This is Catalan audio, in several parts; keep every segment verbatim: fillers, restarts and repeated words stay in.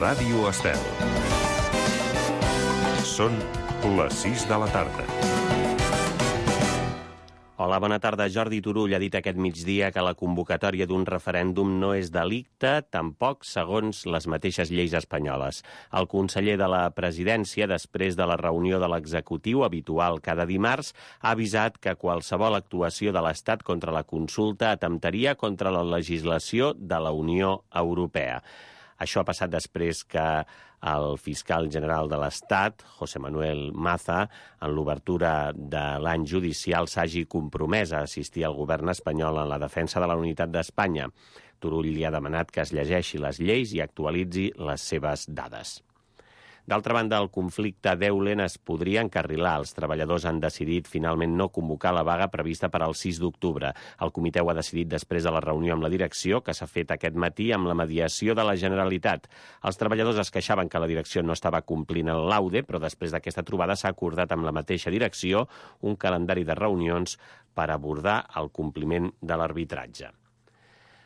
Ràdio Estel. Són les sis de la tarda. Hola, bona tarda. Jordi Turull ha dit aquest migdia que la convocatòria d'un referèndum no és delicte, tampoc segons les mateixes lleis espanyoles. El conseller de la Presidència, després de la reunió de l'executiu habitual cada dimarts, ha avisat que qualsevol actuació de l'Estat contra la consulta atemptaria contra la legislació de la Unió Europea. Això ha passat després que el fiscal general de l'Estat, José Manuel Maza, en l'obertura de l'any judicial s'hagi compromès a assistir al govern espanyol en la defensa de la unitat d'Espanya. Turull li ha demanat que es llegeixi les lleis i actualitzi les seves dades. D'altra banda, el conflicte d'Eulen es podria encarrilar. Els treballadors han decidit finalment no convocar la vaga prevista per al sis d'octubre. El comitè ho ha decidit després de la reunió amb la direcció, que s'ha fet aquest matí amb la mediació de la Generalitat. Els treballadors es queixaven que la direcció no estava complint el laude, però després d'aquesta trobada s'ha acordat amb la mateixa direcció un calendari de reunions per abordar el compliment de l'arbitratge.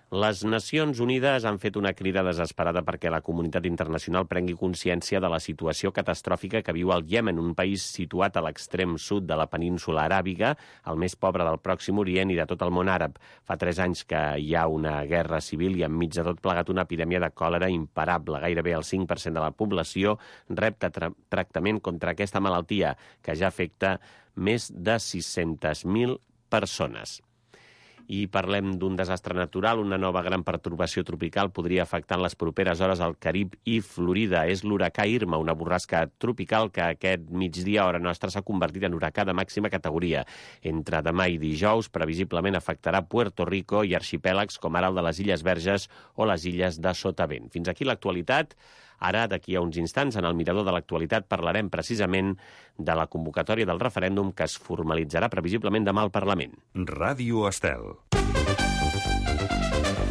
Les Nacions Unides han fet una crida desesperada perquè la comunitat internacional prengui consciència de la situació catastròfica que viu el Iemen, un país situat a l'extrem sud de la península aràbiga, el més pobre del Pròxim Orient i de tot el món àrab. Fa tres anys que hi ha una guerra civil i enmig de tot plegat una epidèmia de còlera imparable. Gairebé el cinc per cent de la població rep tra- tractament contra aquesta malaltia, que ja afecta més de sis-centes mil persones. I parlem d'un desastre natural. Una nova gran pertorbació tropical podria afectar en les properes hores al Carib i Florida. És l'huracà Irma, una borrasca tropical que aquest migdia a hora nostra s'ha convertit en huracà de màxima categoria. Entre demà i dijous, previsiblement afectarà Puerto Rico i arxipèlags com ara el de les Illes Verges o les illes de Sotavent. Fins aquí l'actualitat. Ara, d'aquí a uns instants, en el mirador de l'actualitat, parlarem precisament de la convocatòria del referèndum que es formalitzarà previsiblement demà al Parlament. Ràdio Estel.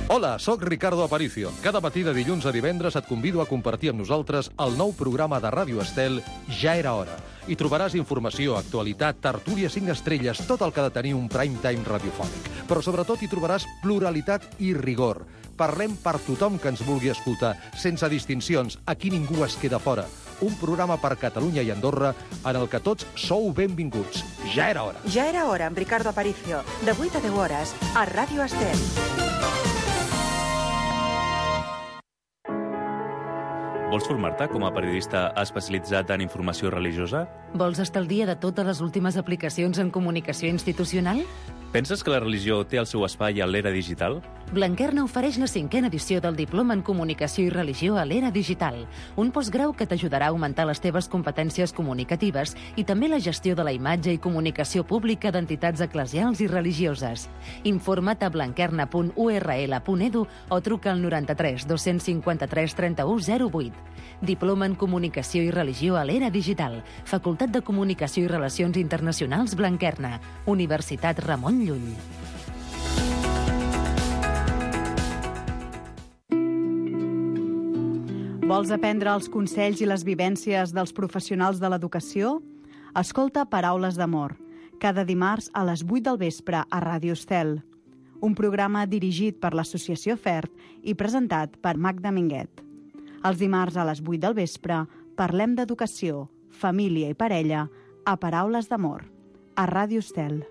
Hola, sóc Ricardo Aparicio. Cada matí de dilluns a divendres et convido a compartir amb nosaltres el nou programa de Ràdio Estel Ja era hora. Hi trobaràs informació, actualitat, tertúlia cinc estrelles, tot el que ha de tenir un prime time radiofònic. Però sobretot hi trobaràs pluralitat i rigor. Parlem per tothom que ens vulgui escoltar, sense distincions, aquí ningú es queda fora. Un programa per Catalunya i Andorra en el que tots sou benvinguts. Ja era hora. Ja era hora amb Ricardo Aparicio, de vuit a deu hores, a Ràdio Estel. Vols formar-te com a periodista especialitzat en informació religiosa? Vols estar al dia de totes les últimes aplicacions en comunicació institucional? Penses que la religió té el seu espai a l'era digital? Blanquerna ofereix la cinquena edició del Diploma en Comunicació i Religió a l'era digital, un postgrau que t'ajudarà a augmentar les teves competències comunicatives i també la gestió de la imatge i comunicació pública d'entitats eclesials i religioses. Informa't a blanquerna punt u erra ele punt edu o truca al noranta-tres dos-cents cinquanta-tres trenta-u zero vuit. Diploma en Comunicació i Religió a l'era digital, Facultat de Comunicació i Relacions Internacionals Blanquerna, Universitat Ramon Llull. Vols aprendre els consells i les vivències dels professionals de l'educació? Escolta Paraules d'Amor, cada dimarts a les vuit del vespre a Ràdio Estel. Un programa dirigit per l'Associació FERT i presentat per Magda Minguet. Els dimarts a les vuit del vespre parlem d'educació, família i parella a Paraules d'Amor, a Ràdio Estel.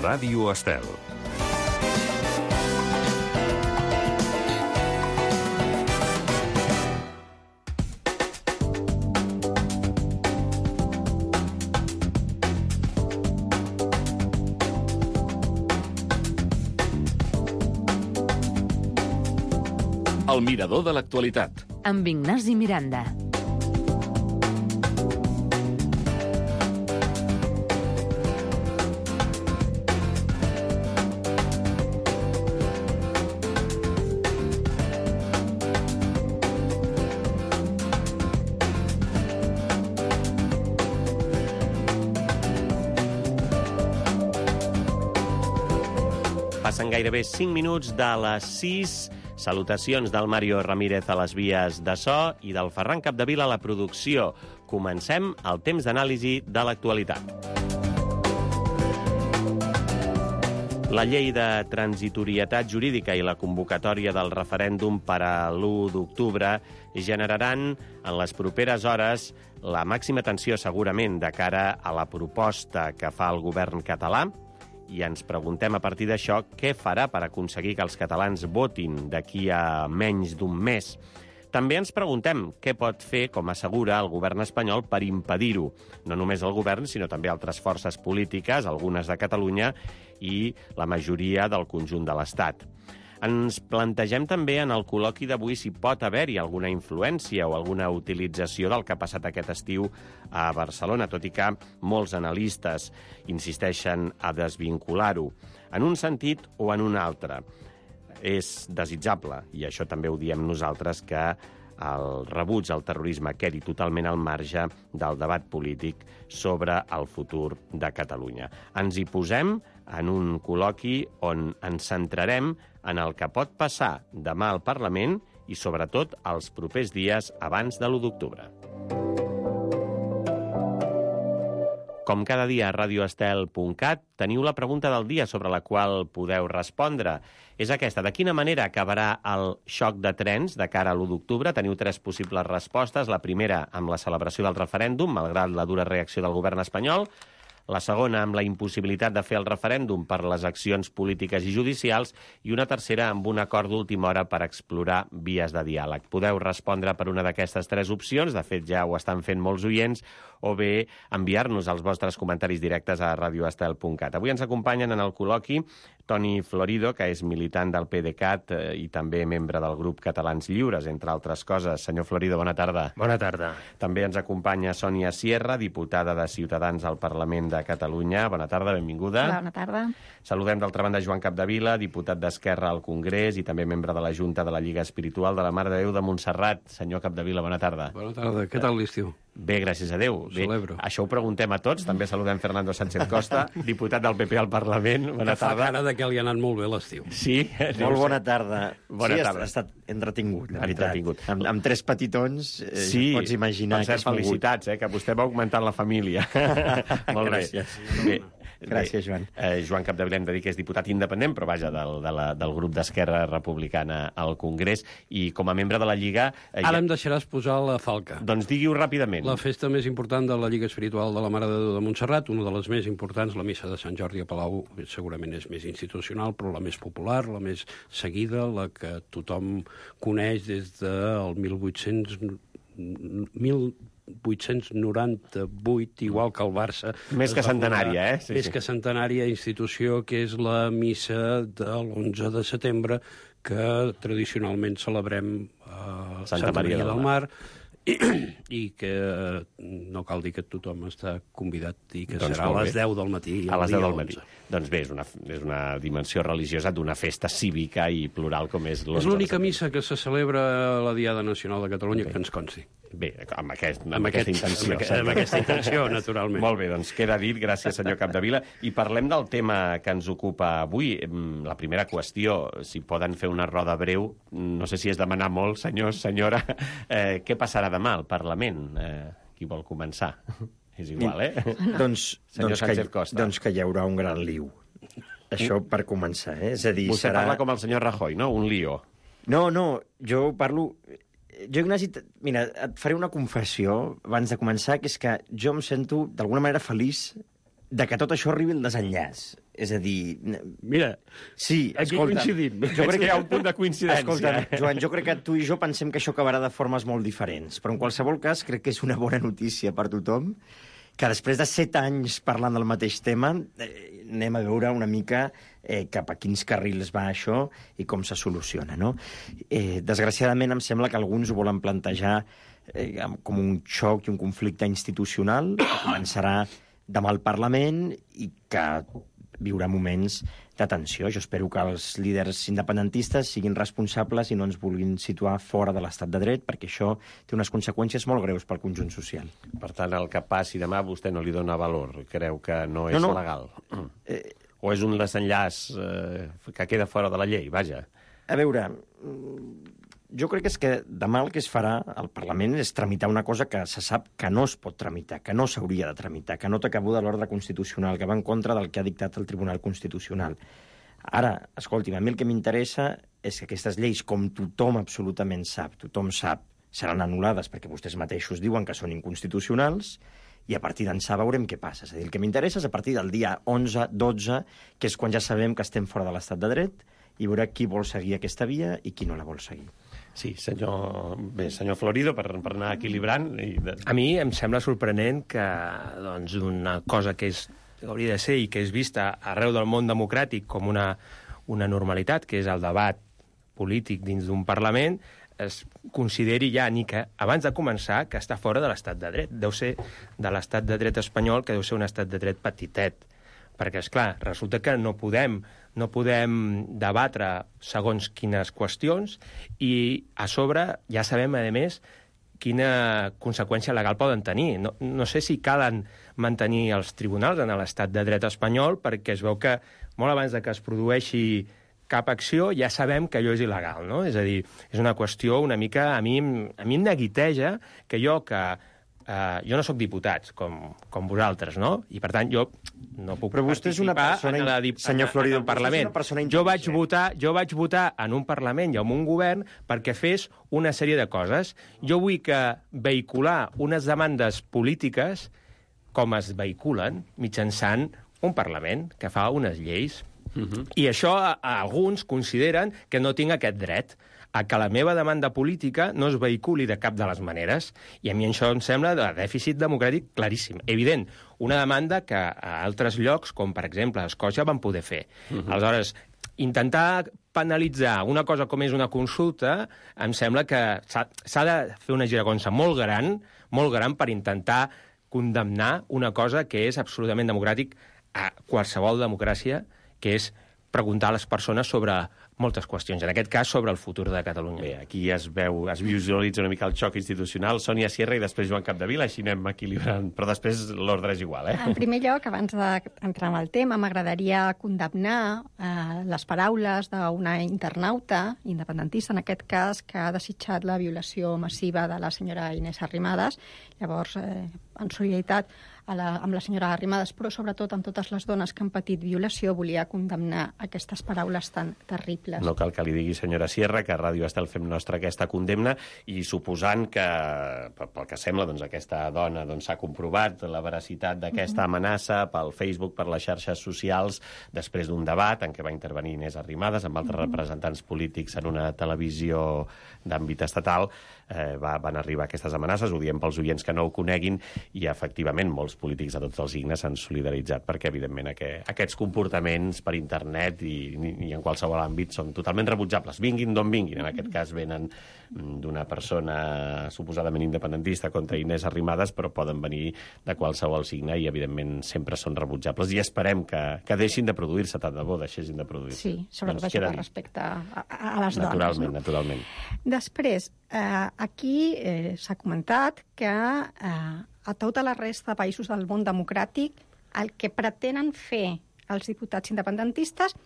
Ràdio Estel. El mirador de l'actualitat. Amb Ignasi Miranda. Passen gairebé cinc minuts de les sis. Salutacions del Mario Ramírez a les vies de so i del Ferran Capdevila a la producció. Comencem el temps d'anàlisi de l'actualitat. La llei de transitorietat jurídica i la convocatòria del referèndum per a l'u d'octubre generaran en les properes hores la màxima tensió segurament de cara a la proposta que fa el govern català, i ens preguntem a partir d'això què farà per aconseguir que els catalans votin d'aquí a menys d'un mes. També ens preguntem què pot fer, com assegura el govern espanyol, per impedir-ho. No només el govern, sinó també altres forces polítiques, algunes de Catalunya i la majoria del conjunt de l'Estat. Ens plantegem també en el col·loqui d'avui si pot haver-hi alguna influència o alguna utilització del que ha passat aquest estiu a Barcelona, tot i que molts analistes insisteixen a desvincular-ho, en un sentit o en un altre. És desitjable, i això també ho diem nosaltres, que el rebuig al terrorisme quedi totalment al marge del debat polític sobre el futur de Catalunya. Ens hi posem en un col·loqui on ens centrarem en el que pot passar demà al Parlament i, sobretot, els propers dies abans de l'u d'octubre. Com cada dia a radio estel punt cat teniu la pregunta del dia sobre la qual podeu respondre. És aquesta: de quina manera acabarà el xoc de trens de cara a l'u d'octubre? Teniu tres possibles respostes. La primera, amb la celebració del referèndum, malgrat la dura reacció del govern espanyol. La segona, amb la impossibilitat de fer el referèndum per les accions polítiques i judicials, i una tercera, amb un acord d'última hora per explorar vies de diàleg. Podeu respondre per una d'aquestes tres opcions, de fet ja ho estan fent molts oients, o bé enviar-nos els vostres comentaris directes a radio estel punt cat. Avui ens acompanyen en el col·loqui Toni Florido, que és militant del PDeCAT eh, i també membre del grup Catalans Lliures, entre altres coses. Senyor Florido, bona tarda. Bona tarda. També ens acompanya Sònia Sierra, diputada de Ciutadans al Parlament de Catalunya. Bona tarda, benvinguda. Hola, bona tarda. Saludem d'altra banda Joan Capdevila, diputat d'Esquerra al Congrés i també membre de la Junta de la Lliga Espiritual de la Mare de Déu de Montserrat. Senyor Capdevila, bona tarda. Bona tarda. Què tal l'estiu? Bé, gràcies a Déu. Ho celebro. Bé, això ho preguntem a tots. També saludem Fernando Sánchez Costa, diputat del P P al Parlament. Bona que fa tarda. cara de que li ha anat molt bé l'estiu. Sí? Molt bona tarda. Bona sí, tarda. ha estat entretingut, la veritat. Entretingut. Amb, amb tres petitons, eh, Sí, ja pots imaginar per cert, que és felicitats, eh, que vostè va augmentant la família. Molt bé. Gràcies. Bé. Gràcies, Joan. Eh, Joan Capdevila, hem de dir que és diputat independent, però vaja, del, de la, del grup d'Esquerra Republicana al Congrés, i com a membre de la Lliga... Eh, Ara ja... em deixaràs posar la falca. Doncs digui-ho ràpidament. La festa més important de la Lliga Espiritual de la Mare de Déu de Montserrat, una de les més importants, la missa de Sant Jordi a Palau, segurament és més institucional, però la més popular, la més seguida, la que tothom coneix des del mil vuit-cents... mil vuit-cents noranta-vuit, igual que el Barça. Més que centenària, eh? Sí, més sí. que centenària institució, que és la missa de l'onze de setembre, que tradicionalment celebrem a Santa, Santa Maria, Maria del Mar, i, i que no cal dir que tothom està convidat i que doncs serà a les deu del matí. A les deu del matí. Doncs bé, és una, és una dimensió religiosa d'una festa cívica i plural com és l'onze. És l'única missa que se celebra a la Diada Nacional de Catalunya, bé, que ens consti. Bé, amb, aquest, amb, amb aquesta aquest, intenció. Amb, amb aquesta intenció, naturalment. Molt bé, doncs queda dit, gràcies senyor Capdevila. I parlem del tema que ens ocupa avui. La primera qüestió, si poden fer una roda breu, no sé si és demanar molt, senyors, senyora, eh, què passarà demà al Parlament? Eh, qui vol començar? És igual, eh? Doncs, doncs, que, Costa. doncs que hi haurà un gran liu. Això per començar, eh? És a dir, Vostè serà... parla com el senyor Rajoy, no? Un lío. No, no, jo parlo... Jo, Ignasi, mira, et faré una confessió abans de començar, que és que jo em sento, d'alguna manera, feliç de que tot això arribi al desenllaç. És a dir... Mira, sí, aquí escolta, coincidim. Jo crec que hi ha un punt de coincidència. Escolta, Joan, jo crec que tu i jo pensem que això acabarà de formes molt diferents, però en qualsevol cas crec que és una bona notícia per tothom, que després de set anys parlant del mateix tema, eh, anem a veure una mica eh, cap a quins carrils va això i com se soluciona, no? Eh, desgraciadament em sembla que alguns ho volen plantejar eh, com un xoc i un conflicte institucional que començarà demà al Parlament i que viurà moments de tensió. Jo espero que els líders independentistes siguin responsables i no ens vulguin situar fora de l'estat de dret, perquè això té unes conseqüències molt greus pel conjunt social. Per tant, el que passi demà vostè no li dona valor, creu que no és no, no. legal. Eh, o és un desenllaç eh, que queda fora de la llei, vaja. A veure, jo crec que és que demà el que es farà al Parlament és tramitar una cosa que se sap que no es pot tramitar, que no s'hauria de tramitar, que no té cabuda a l'ordre constitucional, que va en contra del que ha dictat el Tribunal Constitucional. Ara, escolti'm, a mi el que m'interessa és que aquestes lleis, com tothom absolutament sap, tothom sap, seran anul·lades perquè vostès mateixos diuen que són inconstitucionals, i a partir d'ençà veurem què passa. És a dir, el que m'interessa és a partir del dia onze, dotze, que és quan ja sabem que estem fora de l'estat de dret, i veure qui vol seguir aquesta via i qui no la vol seguir. Sí, senyor... Bé, senyor Florido, per, per anar equilibrant... I de... A mi em sembla sorprenent que doncs, una cosa que, és, que hauria de ser i que és vista arreu del món democràtic com una, una normalitat, que és el debat polític dins d'un Parlament, es consideri ja, ni que abans de començar, que està fora de l'estat de dret. Deu ser de l'estat de dret espanyol, que deu ser un estat de dret petitet. Perquè, esclar, resulta que no podem, no podem debatre segons quines qüestions i, a sobre, ja sabem, a més, quina conseqüència legal poden tenir. No, no sé si calen mantenir els tribunals en l'estat de dret espanyol, perquè es veu que molt abans de que es produeixi cap acció ja sabem que allò és il·legal, no? És a dir, és una qüestió una mica... A mi, a mi em neguiteja que jo, que eh, jo no sóc diputat, com, com vosaltres, no? I, per tant, jo no puc Però vostè és una persona, en la, en, senyor Florido, en el Parlament. Jo vaig, votar, jo vaig votar en un Parlament i en un govern perquè fes una sèrie de coses. Jo vull que vehicular unes demandes polítiques com es vehiculen mitjançant un Parlament que fa unes lleis. Uh-huh. I això a, a alguns consideren que no tinc aquest dret a que la meva demanda política no es vehiculi de cap de les maneres. I a mi això em sembla de dèficit democràtic claríssim. Evident, una demanda que a altres llocs, com per exemple a Escòcia, van poder fer. Uh-huh. Aleshores, intentar penalitzar una cosa com és una consulta, em sembla que s'ha de fer una giragonsa molt gran, molt gran per intentar condemnar una cosa que és absolutament democràtic a qualsevol democràcia, que és preguntar a les persones sobre moltes qüestions, en aquest cas sobre el futur de Catalunya. Bé, aquí es veu, es visualitza una mica el xoc institucional. Sònia Sierra i després Joan Capdevila, així anem equilibrant, però després l'ordre és igual, eh? En primer lloc, abans d'entrar en el tema, m'agradaria condemnar eh, les paraules d'una internauta independentista, en aquest cas, que ha desitjat la violació massiva de la senyora Inés Arrimadas. Llavors, eh, en solidaritat a la, amb la senyora Arrimadas, però sobretot amb totes les dones que han patit violació, volia condemnar aquestes paraules tan terribles. No cal que li digui, senyora Sierra, que a Ràdio Estel fem nostra aquesta condemna i suposant que, pel que sembla, doncs, aquesta dona doncs, s'ha comprovat la veracitat d'aquesta amenaça pel Facebook, per les xarxes socials, després d'un debat en què va intervenir Inés Arrimadas amb altres representants polítics en una televisió d'àmbit estatal, eh, va, van arribar aquestes amenaces, ho diem pels oients que no ho coneguin, i efectivament molts polítics de tots els signes s'han solidaritzat perquè, evidentment, aquest, aquests comportaments per internet i, i en qualsevol àmbit són totalment rebutjables. Vinguin d'on vinguin. En aquest cas venen d'una persona suposadament independentista contra Inés Arrimadas, però poden venir de qualsevol signe i, evidentment, sempre són rebutjables. I esperem que, que deixin de produir-se, tant de bo deixessin de produir-se. Sí, sobretot doncs això per respecte a, a les naturalment, dones. No? Naturalment, Després, eh, aquí eh, s'ha comentat que eh, a tota la resta de països del món democràtic el que pretenen fer els diputats independentistes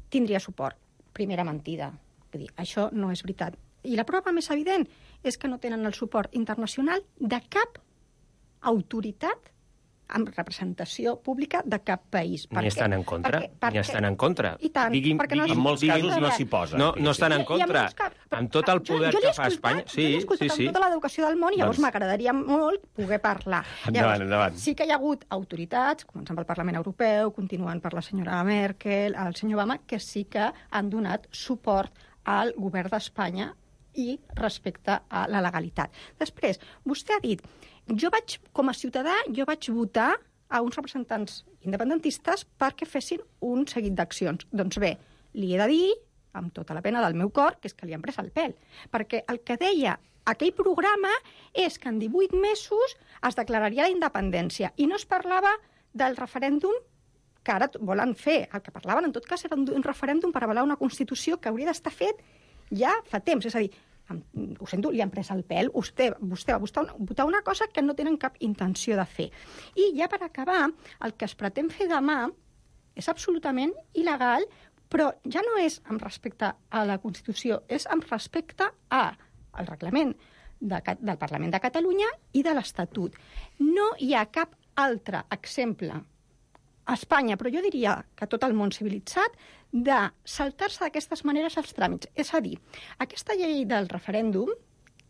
tindria suport. Primera mentida. Vull dir, això no és veritat. I la prova més evident és que no tenen el suport internacional de cap autoritat amb representació pública de cap país. Ni estan en contra. Perquè, perquè, ni estan en contra. I tant, diguin, perquè no en molts casos no s'hi posen. No, no estan en contra. Que, amb tot el poder jo, jo que fa Espanya... Sí, jo l'he escoltat sí, sí. amb tota l'educació del món i llavors doncs... m'agradaria molt poder parlar. Endavant, llavors, endavant. Sí que hi ha hagut autoritats, començant pel Parlament Europeu, continuant per la senyora Merkel, el senyor Obama, que sí que han donat suport al govern d'Espanya i respecte a la legalitat. Després, vostè ha dit, jo vaig, com a ciutadà, jo vaig votar a uns representants independentistes perquè fessin un seguit d'accions. Doncs bé, li he de dir, amb tota la pena del meu cor, que és que li han pres el pèl. Perquè el que deia aquell programa és que en divuit mesos es declararia la independència i no es parlava del referèndum que ara volen fer. El que parlaven, en tot cas, era un referèndum per avalar una Constitució que hauria d'estar fet ja fa temps. És a dir, ho sento, li han pres el pèl, vostè, vostè va votar una, votar una cosa que no tenen cap intenció de fer. I ja per acabar, el que es pretén fer demà és absolutament il·legal, però ja no és amb respecte a la Constitució, és amb respecte al reglament de, del Parlament de Catalunya i de l'Estatut. No hi ha cap altre exemple a Espanya, però jo diria que tot el món civilitzat, de saltar-se d'aquestes maneres els tràmits. És a dir, aquesta llei del referèndum,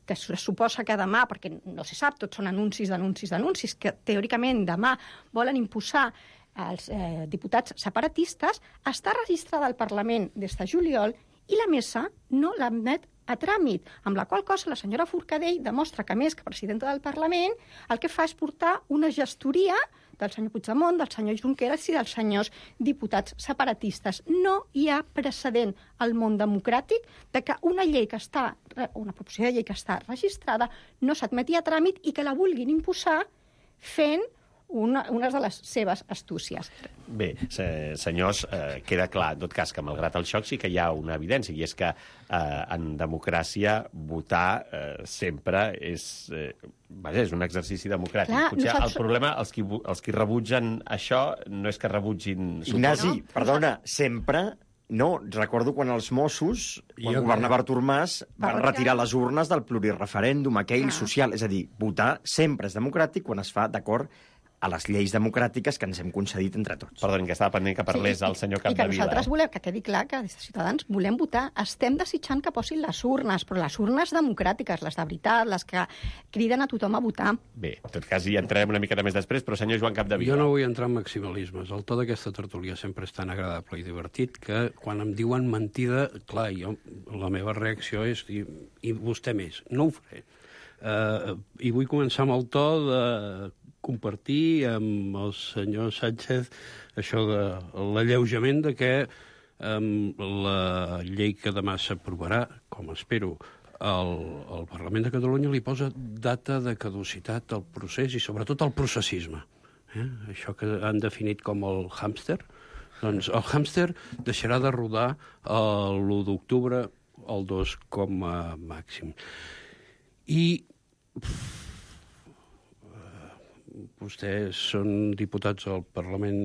que es suposa que demà, perquè no se sap, tots són anuncis, anuncis, anuncis, que teòricament demà volen imposar als eh, diputats separatistes, està registrada al Parlament des de juliol i la mesa no l'admet a tràmit, amb la qual cosa la senyora Forcadell demostra que, més que presidenta del Parlament, el que fa és portar una gestoria del senyor Puigdemont, del senyor Junqueras i dels senyors diputats separatistes. No hi ha precedent al món democràtic de que una llei que està, una proposició de llei que està registrada no s'admeti a tràmit i que la vulguin imposar fent una, una de les seves astúcies. Bé, se, senyors, eh, queda clar, en tot cas, que malgrat el xoc sí que hi ha una evidència, i és que eh, en democràcia votar eh, sempre és, eh, vaja, és un exercici democràtic. Clar, Potser nosaltres... el problema, els qui, els qui rebutgen això, no és que rebutgin... Ignasi, no? perdona, sempre... No, recordo quan els Mossos, quan Jo governava Artur Mas, van Va retirar les urnes del plurireferèndum, aquell Ah. social. És a dir, votar sempre és democràtic quan es fa d'acord a les lleis democràtiques que ens hem concedit entre tots. Perdonin, que estava pendent que parlés Sí, el senyor I que Capdevila. nosaltres Eh? volem, que quedi clar que des de Ciutadans volem votar, estem desitjant que posin les urnes, però les urnes democràtiques, les de veritat, les que criden a tothom a votar. Bé, en tot cas hi entrarem una miqueta més després, però senyor Joan Capdevila. Jo no vull entrar en maximalismes. El to d'aquesta tertúlia sempre és tan agradable i divertit que quan em diuen mentida, clar, jo, la meva reacció és dir, i vostè més, no ho faré. Uh, I vull començar amb el to de compartir amb el senyor Sánchez això de l'alleujament de que um, la llei que demà s'aprovarà, com espero, el, el Parlament de Catalunya li posa data de caducitat al procés i sobretot al processisme. Eh? Això que han definit com el hàmster, doncs el hàmster deixarà de rodar l'u d'octubre el dos com a màxim. I pff, vostès són diputats al Parlament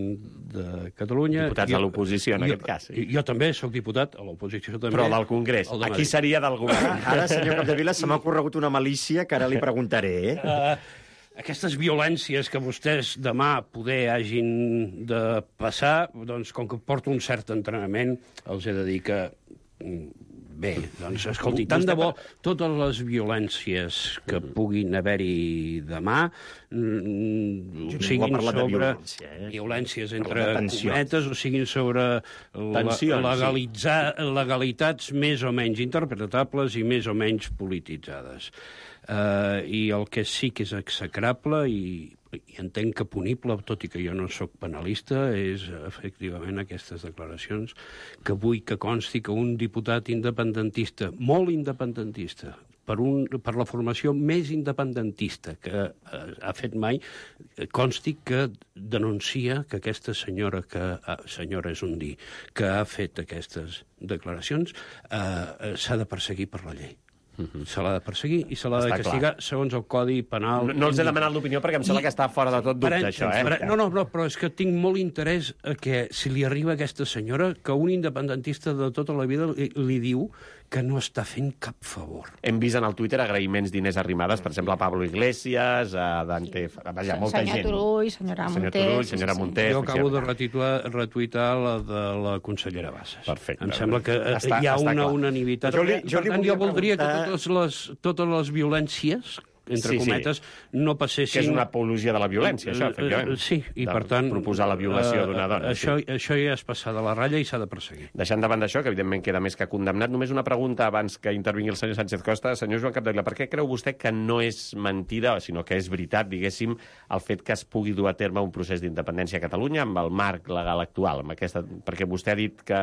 de Catalunya. Diputats jo, a l'oposició, en jo, aquest cas. Sí. Jo també sóc diputat a l'oposició també. Però del Congrés. El de Aquí Madrid. seria del govern. Ara, senyor Capdevila, se m'ha ocorregut una malícia que ara li preguntaré, eh? Uh, aquestes violències que vostès demà poder hagin de passar, doncs, com que porto un cert entrenament, els he de dir que... Bé, doncs, escolti, tant de bo totes les violències que puguin haver-hi demà mm, Jo siguin ningú ha parlat de sobre violència, eh? violències Parla entre de tensions. cometes o siguin sobre la, Tensions, legalitzar, legalitats més o menys interpretables i més o menys polititzades. Uh, I el que sí que és execrable i, i entenc que punible, tot i que jo no sóc penalista, és efectivament aquestes declaracions que vull que consti que un diputat independentista, molt independentista, per, un, per la formació més independentista que eh, ha fet mai, consti que denuncia que aquesta senyora, que eh, senyora és un dir, que ha fet aquestes declaracions, eh, s'ha de perseguir per la llei. Uh-huh. Se l'ha de perseguir i se l'ha de Està castigar clar. segons el Codi Penal. No, no els he demanat l'opinió perquè em sembla que està fora de tot dubte, Parent, això, eh? No, no, no, però és que tinc molt interès a que si li arriba a aquesta senyora que un independentista de tota la vida li, li diu que no està fent cap favor. Hem vist en el Twitter agraïments d'Inés Arrimadas, per exemple, a Pablo Iglesias, a Dante... Vaja, molta senyor gent. Turull, senyora Senyor Munté... Turull, senyora Munté... Jo acabo de retitular, retuitar la de la consellera Bassas. Perfecte. Em sembla que eh, Està- hi ha està una clar. unanimitat. Jo li- I, jo per li tant, volia jo voldria preguntar- que totes les, totes les violències, entre Sí, sí. cometes, no passessin... Que és una apologia de la violència, això, efectivament. Eh, Sí, i De per tant... proposar la violació eh, d'una dona. Això, sí. això ja és passar de la ratlla i s'ha de perseguir. Deixant davant d'això, que evidentment queda més que condemnat, només una pregunta abans que intervingui el senyor Sánchez Costa. Senyor Joan Capdevila, per què creu vostè que no és mentida, sinó que és veritat, diguéssim, el fet que es pugui dur a terme un procés d'independència a Catalunya amb el marc legal actual? Amb aquesta... Perquè vostè ha dit que,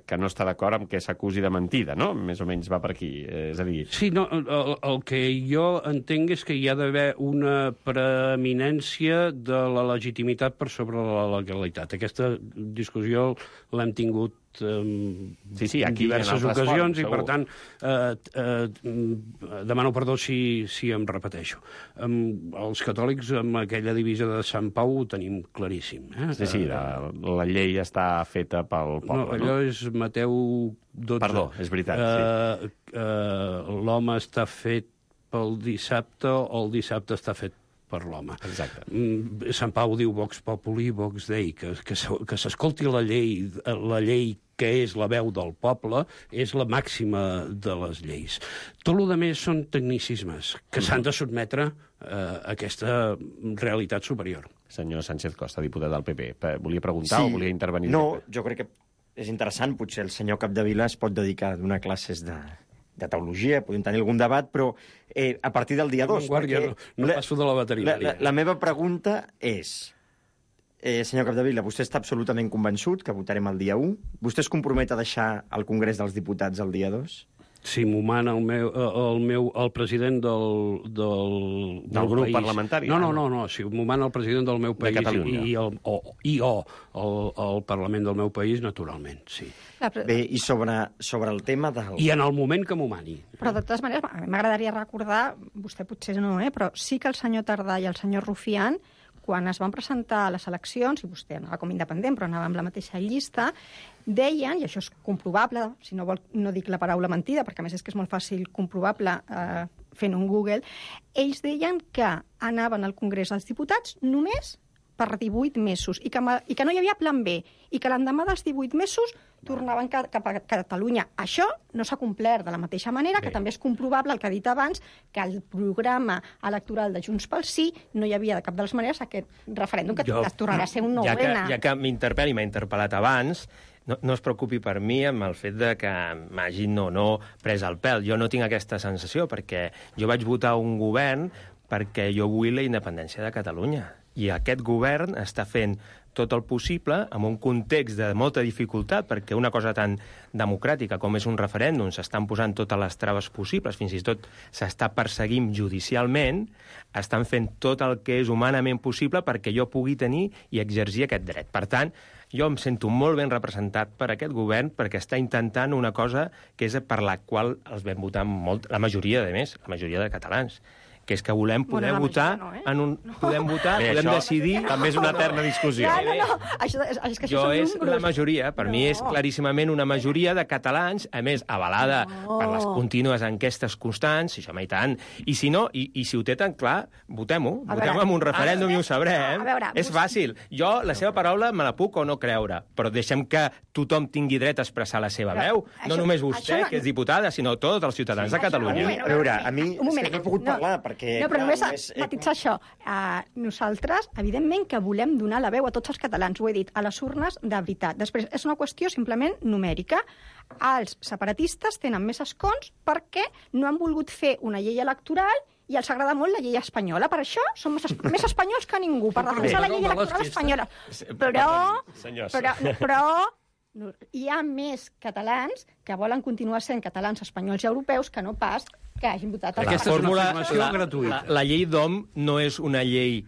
que no està d'acord amb que s'acusi de mentida, no? Més o menys va per aquí. És a dir... Sí, no, el, el que jo entenc és que hi ha d'haver una preeminència de la legitimitat per sobre la legalitat. Aquesta discussió l'hem tingut um, Sí, sí, aquí en diverses en altres ocasions forums, i, per segur. tant, eh, eh, demano perdó si, si em repeteixo. Um, els catòlics, amb aquella divisa de Sant Pau, ho tenim claríssim. Eh? Sí, sí, la, la llei està feta pel poble, No, allò és Mateu dotze. Perdó, és veritat, sí. Uh, uh, L'home està fet pel dissabte o el dissabte està fet per l'home. Exacte. Mm, Sant Pau diu Vox Populi, Vox Dei, que, que, se- que s'escolti la llei, la llei que és la veu del poble, és la màxima de les lleis. Tot el que més són tecnicismes que s'han de sotmetre eh, a aquesta realitat superior. Senyor Sánchez Costa, diputat del P P, pe- volia preguntar o volia intervenir? No, jo crec que és interessant. Potser el senyor Capdevila es pot dedicar a donar classes de, de teologia, podem tenir algun debat, però eh, a partir del dia dos... Guàrdia, no, no passo de la veterinària. La, la, la meva pregunta és, eh, senyor Capdevila, vostè està absolutament convençut que votarem el dia u? Vostè es compromet a deixar el Congrés dels Diputats el dia dos? Si m'ho mana el meu, el meu, el president del, del, Del grup país. parlamentari? No, no, no, no, si m'ho mana el president del meu De país Catalunya. i, el, o, i o el, el Parlament del meu país, naturalment, sí. Bé, i sobre, sobre el tema del... I en el moment que m'ho mani. Però, de totes maneres, a mi m'agradaria recordar, vostè potser no, eh, però sí que el senyor Tardà i el senyor Rufián, quan es van presentar a les eleccions, i vostè anava com independent, però anava amb la mateixa llista, deien, i això és comprovable, si no vol, no dic la paraula mentida, perquè a més és que és molt fàcil comprovable eh, fent un Google, ells deien que anaven al Congrés dels Diputats només per divuit mesos, i que, i que no hi havia plan B, i que l'endemà dels divuit mesos tornaven cap a Catalunya. Això no s'ha complert de la mateixa manera, que també és comprovable, el que ha dit abans, que el programa electoral de Junts pel Sí no hi havia de cap de les maneres aquest referèndum que jo, tornarà a ser un nou ja que, N. ja que m'interpel·li, m'ha interpel·lat abans, no, no es preocupi per mi amb el fet de que m'hagin no, no pres el pèl. Jo no tinc aquesta sensació, perquè jo vaig votar un govern perquè jo vull la independència de Catalunya. I aquest govern està fent tot el possible en un context de molta dificultat, perquè una cosa tan democràtica com és un referèndum s'estan posant totes les traves possibles, fins i tot s'està perseguint judicialment, estan fent tot el que és humanament possible perquè jo pugui tenir i exercir aquest dret. Per tant, jo em sento molt ben representat per aquest govern perquè està intentant una cosa que és per la qual els vam votar molt, la majoria, de més, la majoria de catalans, que és que volem poder Bueno, la votar majoria no, eh? en un... Podem votar, Bé, podem això decidir... també és una eterna discussió. Ja, no, no, això, és, és que això Jo són és números. la majoria, per no. mi és claríssimament una majoria de catalans, a més, avalada No. per les contínues enquestes constants, i això mai tant. I si no, i, i si ho té tan clar, votem-ho. A Votem veure, amb un referèndum a i ho sabrem. a veure, és vostè- fàcil. Jo, la seva paraula, me la puc o no creure, però deixem que tothom tingui dret a expressar la seva Però veu. això- No només això vostè, no- que és diputada, sinó tots els ciutadans de Catalunya. moment, A veure, a mi un moment. és que no he pogut No. parlar, perquè... No, però clar, només només he- matitzar això. Uh, nosaltres, evidentment, que volem donar la veu a tots els catalans, ho he dit, a les urnes de veritat. Després, és una qüestió simplement numèrica. Els separatistes tenen més escons perquè no han volgut fer una llei electoral i els agrada molt la llei espanyola. Per això són més, es- més espanyols que ningú, per defensar la llei Perdó, electoral Velasquez. espanyola. Però, Senyors. però, però no, hi ha més catalans que volen continuar sent catalans, espanyols i europeus que no pas que hagin votat els Aquesta és una fórmula- afirmació la, gratuïta. La, la llei d'O M no és una llei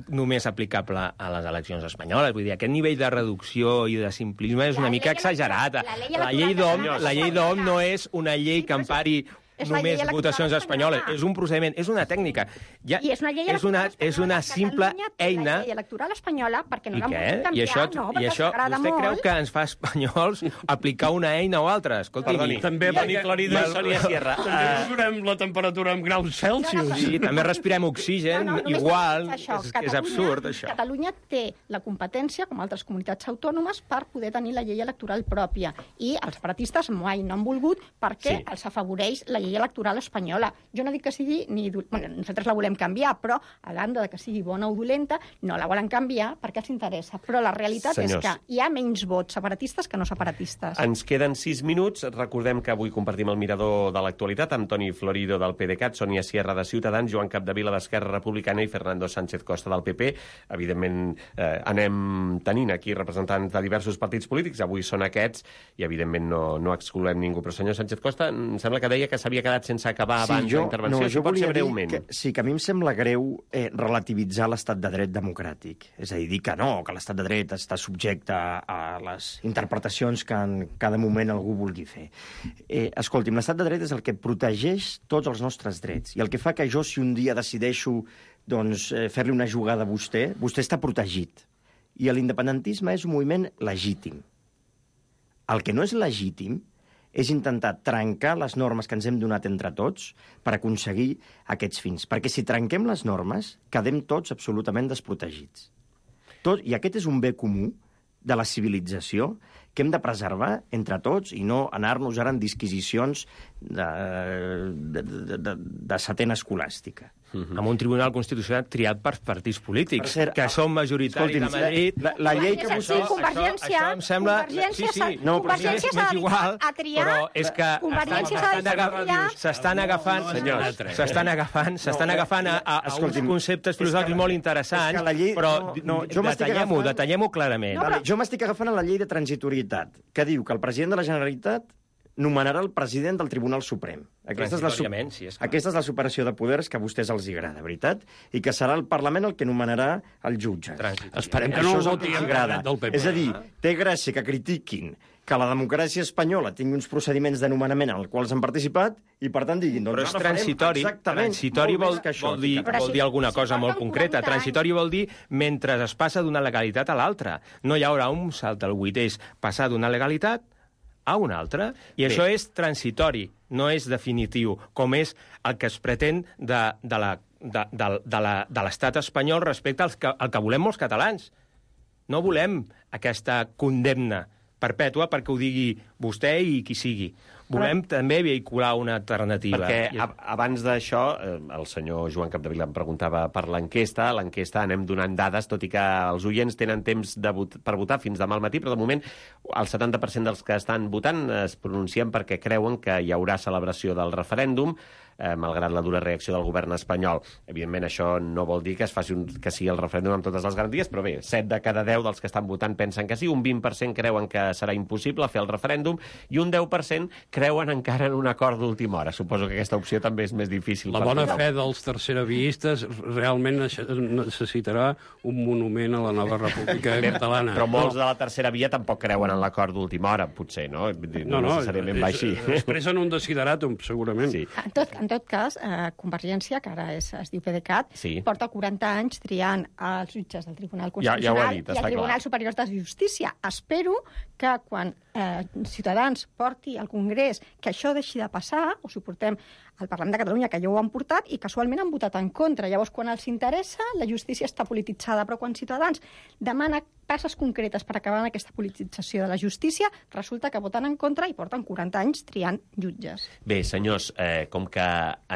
només aplicable a les eleccions espanyoles. Vull dir, aquest nivell de reducció i de simplisme és La una llei mica electoral- exagerat. la llei La llei electoral d'O M catalana la llei és d'O M espanyola. no és una llei Sí, que però és- empari és la llei només electoral votacions espanyoles. espanyola. És un procediment, és una tècnica. Ja, I és una llei és una, electoral és una espanyola. simple Catalunya té eina... la llei electoral espanyola perquè no I l'han què? volgut canviar, I això, no, i perquè això els agrada vostè molt. creu que ens fa espanyols aplicar una eina o altra? Escolti, Perdoni, També Toni Florido i Sònia Sierra. També mesurem la temperatura amb graus Celsius. Sí, també respirem oxigen, No, no, només igual. per això. És, és Catalunya- absurd, això. Catalunya té la competència, com altres comunitats autònomes, per poder tenir la llei electoral pròpia. I els separatistes mai no han volgut perquè Sí. els afavoreix la llei electoral espanyola. Jo no dic que sigui ni... do- Bueno, nosaltres la volem canviar, però a banda de que sigui bona o dolenta, no la volen canviar perquè els interessa. Però la realitat Senyors. és que hi ha menys vots separatistes que no separatistes. Ens queden sis minuts. Recordem que avui compartim el mirador de l'actualitat amb Toni Florido del PDeCAT, Sònia Sierra de Ciutadans, Joan Capdevila d'Esquerra Republicana i Fernando Sánchez Costa del P P. Evidentment, eh, anem tenint aquí representants de diversos partits polítics. Avui són aquests i, evidentment, no, no excloem ningú. Però, senyor Sánchez Costa, em sembla que deia que s'havia quedat sense acabar abans la intervenció. no, Si pot ser volia dir breument. que, sí, que a mi em sembla greu eh, relativitzar l'estat de dret democràtic. És a dir, dir que no, que l'estat de dret està subjecte a, a les interpretacions que en cada moment algú vulgui fer. Eh, escolti'm, l'estat de dret és el que protegeix tots els nostres drets. I el que fa que jo, si un dia decideixo doncs, eh, fer-li una jugada a vostè, vostè està protegit. I l'independentisme és un moviment legítim. El que no és legítim és intentar trencar les normes que ens hem donat entre tots per aconseguir aquests fins. Perquè si trenquem les normes, quedem tots absolutament desprotegits. Tot, I aquest és un bé comú de la civilització que hem de preservar entre tots i no anar-nos ara en disquisicions de, de, de, de, de setena escolàstica. Mm-hmm. Amb un tribunal constitucional triat per partits polítics, per cert, que són majoritaris escolti'm, a Madrid. La, la llei que vostè... vostès... Convergència, això, això em sembla... Convergència, sí, sí, no, Convergència s'ha igual, a triar, però és que Convergència s'ha de triar... s'estan agafant, senyors, s'estan agafant, s'estan agafant a, a, a uns conceptes filosòfics molt interessants, llei, però no, no, detallem-ho, detallem-ho clarament. No, però... Jo m'estic agafant a la llei de transitorietat, que diu que el president de la Generalitat nomenarà el president del Tribunal Suprem. Aquesta és, la, sí, és aquesta és la superació de poders que a vostès els agrada, veritat? I que serà el Parlament el que nomenarà el jutge. Esperem que no Això és el voti que els en agrada. del P P. És a dir, té gràcia que critiquin que la democràcia espanyola tingui uns procediments de nomenament en els quals han participat i, per tant, diguin... Doncs, però és transitori. Transitori vol, això, vol, dir, vol dir alguna cosa molt concreta. Transitori vol dir mentre es passa d'una legalitat a l'altra. No hi haurà un salt al buit, és passar d'una legalitat a una altra, i Bé. Això és transitori, no és definitiu, com és el que es pretén de, de la de, de, de la, de l'estat espanyol respecte al que, al que volem molts catalans. No volem aquesta condemna perpètua perquè ho digui vostè i qui sigui. Volem Però... també vehicular una alternativa. Perquè I... abans d'això, el senyor Joan Capdevila em preguntava per l'enquesta. L'enquesta anem donant dades, tot i que els oients tenen temps de vot... per votar fins demà al matí, però de moment el setanta per cent dels que estan votant es pronuncien perquè creuen que hi haurà celebració del referèndum, eh, malgrat la dura reacció del govern espanyol. Evidentment, això no vol dir que es faci un... que sigui el referèndum amb totes les garanties, però bé, set de cada deu dels que estan votant pensen que sí, un vint per cent creuen que serà impossible fer el referèndum i un deu per cent creuen encara en un acord d'última hora. Suposo que aquesta opció també és més difícil. La bona fe dels terceraviistes realment necessitarà un monument a la nova República Catalana. Però molts de la tercera via tampoc creuen en l'acord d'última hora, potser, no? No, no, necessàriament va així. Expressen un desideratum, segurament. Sí. En tot, en tot cas, eh, Convergència, que ara és, es diu PDeCAT, sí. porta quaranta anys triant els jutges del Tribunal Constitucional ja, ja dit, i el Tribunal clar. Superior de Justícia. Espero que quan eh, Ciutadans porti al Congrés que això deixi de passar, o si ho portem al Parlament de Catalunya, que ja ho han portat, i casualment han votat en contra. Llavors, quan els interessa, la justícia està polititzada, però quan Ciutadans demana passes concretes per acabar amb aquesta politització de la justícia, resulta que voten en contra i porten quaranta anys triant jutges. Bé, senyors, eh, com que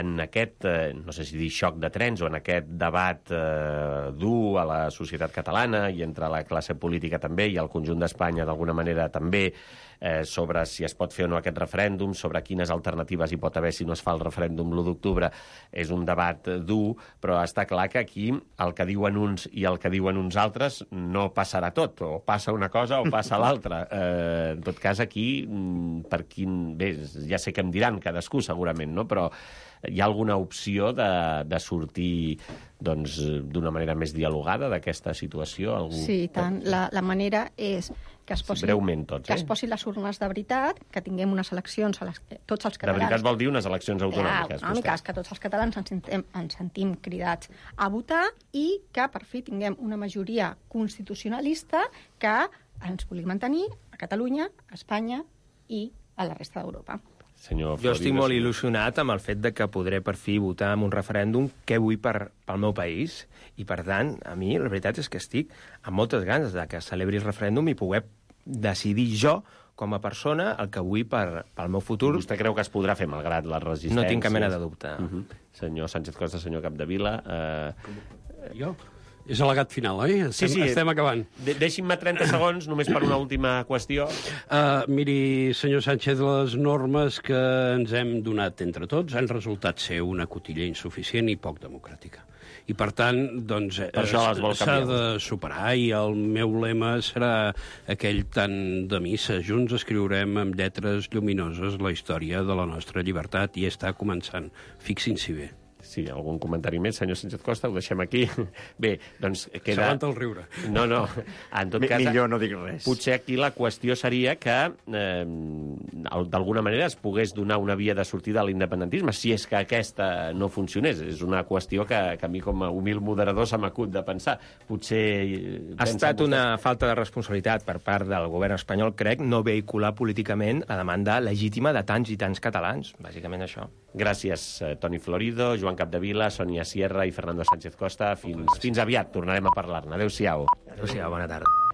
en aquest, eh, no sé si dir xoc de trens, o en aquest debat eh, dur a la societat catalana i entre la classe política també i el conjunt d'Espanya d'alguna manera també, eh, sobre si es pot fer o no aquest referèndum, sobre quines alternatives hi pot haver si no es fa el referèndum l'u d'octubre, és un debat dur, però està clar que aquí el que diuen uns i el que diuen uns altres no passarà tot, o passa una cosa o passa l'altra. Eh, en tot cas, aquí, per quin... Bé, ja sé que em diran cadascú, segurament, no? Però hi ha alguna opció de, de sortir doncs, d'una manera més dialogada d'aquesta situació? Algú... Sí, tant. La, la manera és que es posin, sí, breument tots, eh? que es posin les urnes de veritat, que tinguem unes eleccions a les que tots els catalans... De veritat vol dir unes eleccions autonòmiques. Ja, una mica, que tots els catalans ens sentim, ens sentim cridats a votar i que per fi tinguem una majoria constitucionalista que ens vulgui mantenir a Catalunya, a Espanya i a la resta d'Europa. Senyor jo estic molt il·lusionat amb el fet de que podré per fi votar en un referèndum que vull per, pel meu país i, per tant, a mi la veritat és que estic amb moltes ganes de que celebri el referèndum i poder decidir jo com a persona el que vull per, pel meu futur. Vostè creu que es podrà fer malgrat les resistències? No tinc cap mena de dubte. Uh -huh. Senyor Sánchez Costa, senyor Capdevila... Eh... Jo? És al·legat final, oi? Estem, sí, sí. Estem acabant. De Deixi'm-me trenta segons, només per una última qüestió. Uh, miri, senyor Sánchez, les normes que ens hem donat entre tots han resultat ser una cotilla insuficient i poc democràtica. I, per tant, doncs, s'ha de superar, i el meu lema serà aquell tant de missa. Junts escriurem amb lletres lluminoses la història de la nostra llibertat i està començant. Fixin-s'hi bé. sí, algun comentari més, senyor Sánchez Costa, ho deixem aquí. Bé, doncs queda... S'aguanta el riure. No, no, en tot cas... Millor no dic res. Potser aquí la qüestió seria que eh, d'alguna manera es pogués donar una via de sortida a l'independentisme, si és que aquesta no funcionés. És una qüestió que, que a mi com a humil moderador se m'acut de pensar. Potser... Ha estat una falta de responsabilitat per part del govern espanyol, crec, no vehicular políticament la demanda legítima de tants i tants catalans. Bàsicament això. Gràcies, Toni Florido, Joan Capdevila, Sònia Sierra i Fernando Sánchez Costa. Fins, fins aviat, tornarem a parlar-ne. Adéu-siau. Adéu-siau, bona tarda.